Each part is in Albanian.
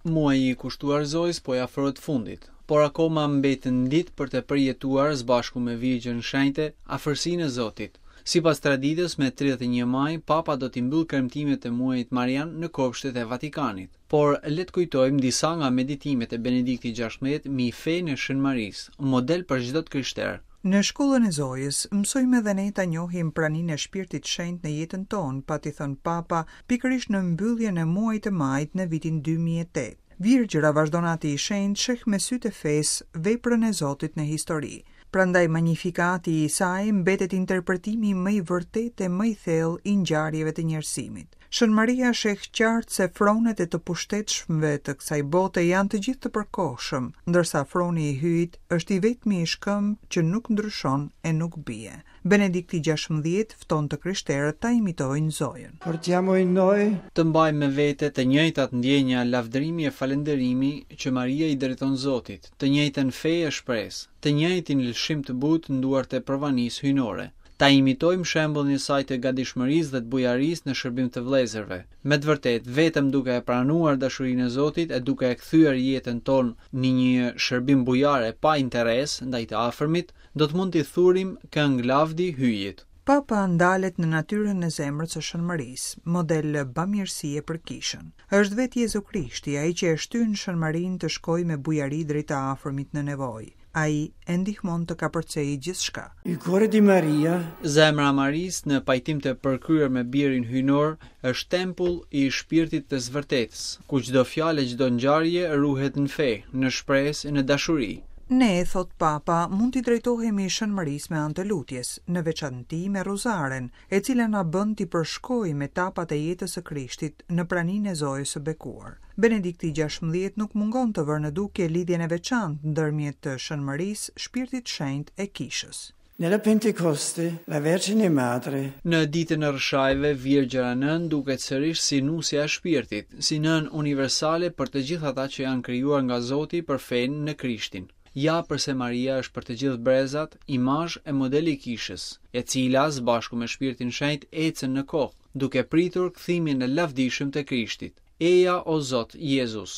Muaji i kushtuar Zojës po i afrohet fundit, por akoma mbeten ditë për të përjetuar së bashku me Virgjën Shenjte afërsinë e Zotit. Sipas traditës, me 31 maj, Papa do t'i mbyllë kremtimet e muajit Marian në kopshtet e Vatikanit. Por, le të kujtojmë disa nga meditimet e Benediktit 16 mbi fenë e Shën Marisë, model për çdo të krishterë. Në shkollën e Zojës, mësojmë edhe ne ta njohim praninë e Shpirtit Shenjt në jetën tonë, pati thënë Papa, pikërisht në mbylljen e muajit të majit në vitin 2008. Virgjëra, vazhdon Ati i Shenjtë, sheh me sytë e fesë veprën e Zotit në histori. Prandaj Magnifikati i saj mbetet interpretimi më i vërtetë e më i thellë i ngjarjeve të njerëzimit. Shën Maria sheh qartë se fronet e të pushtetshmëve të kësaj bote janë të gjithë të përkohshëm, ndërsa froni i Hyjit është i vetmi shkëmb që nuk ndryshon e nuk bie. Benedikti 16 fton të krishterët ta imitojnë Zojën. Portiamo in noi Të mbajmë me vete të njëjtat ndjenja lavdërimi e falënderimi që Maria i drejton Zotit, të njëjtën fe e shpresë, të njëjtin lëshim të butë në duart e provanisë hyjnore. Ta imitojmë shembullin e saj të gatishmërisë dhe të bujarisë në shërbim të vëllezërve. Me të vërtetë, vetëm duke e pranuar dashurinë e Zotit e duke e kthyer jetën tonë në një shërbim bujar e pa interes ndaj të afërmit, do të mund t'i thurim këngë lavdi Hyjit. Papa ndalet në natyrën e zemrës së Shën Marisë, model bamirësie për kishën. Është vetë Jezu Krishti, ai që e shtyn Shën Marinë të shkojë me bujari drejt të afërmit në nevojë. Ai e ndihmon të kapërcejë gjithçka. Il cuore di Maria Zemra e Marisë në pajtim të përkryer me birin hyjnor është tempull i shpirtit të së vërtetës, ku çdo fjalë e çdo ngjarje ruhet në fe, në shpresë e në dashuri. Ne, thotë Papa, mund t'i drejtohemi Shën Marisë me anë të lutjes, në veçanti me Rozaren, e cila na bën t'i përshkojmë etapat e jetës së Krishtit në praninë e Zojës së bekuar. Benedikti 16 nuk mungon të vërë në dukje lidhjen e veçantë ndërmjet Shën Marisë, Shpirtit Shenjt e Kishës. Nella Pentecoste la Vergine Madre Në ditën e Rrëshajve, Virgjëra Nënë duket sërish si nusja e shpirtit, si nënë universale për të gjithë ata që janë krijuar nga Zoti për fenë në Krishtin. Ja përse Maria është për të gjithë brezat imazh e model i kishës, e cila së bashku me Shpirtin Shenjt ecën në kohë, duke pritur kthimin e lavdishëm të Krishtit. Eja o Zot Jezus.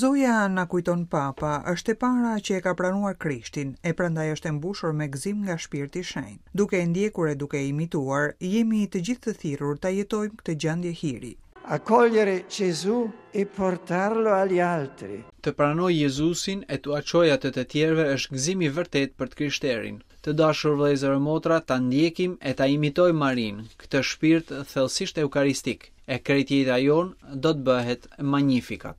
Zoja na kujton Papa, është e para që e ka pranuar Krishtin, e prandaj është e mbushur me gëzim nga Shpirti i Shenjtë. Duke e ndjekur e duke e imituar, jemi të gjithë të thirrur ta jetojmë këtë gjendje hiri. Accogliere Gesù e portarlo agli altri. Të pranoj Jezusin e t'ua çoj atë të tjerëve është gëzim i vërtetë për të krishterin. Të dashur vëllezër e motra, ta ndjekim e ta imitojmë Marinë, këtë shpirt thellësisht eukaristik, e krejt jeta jonë do të bëhet Magnificat.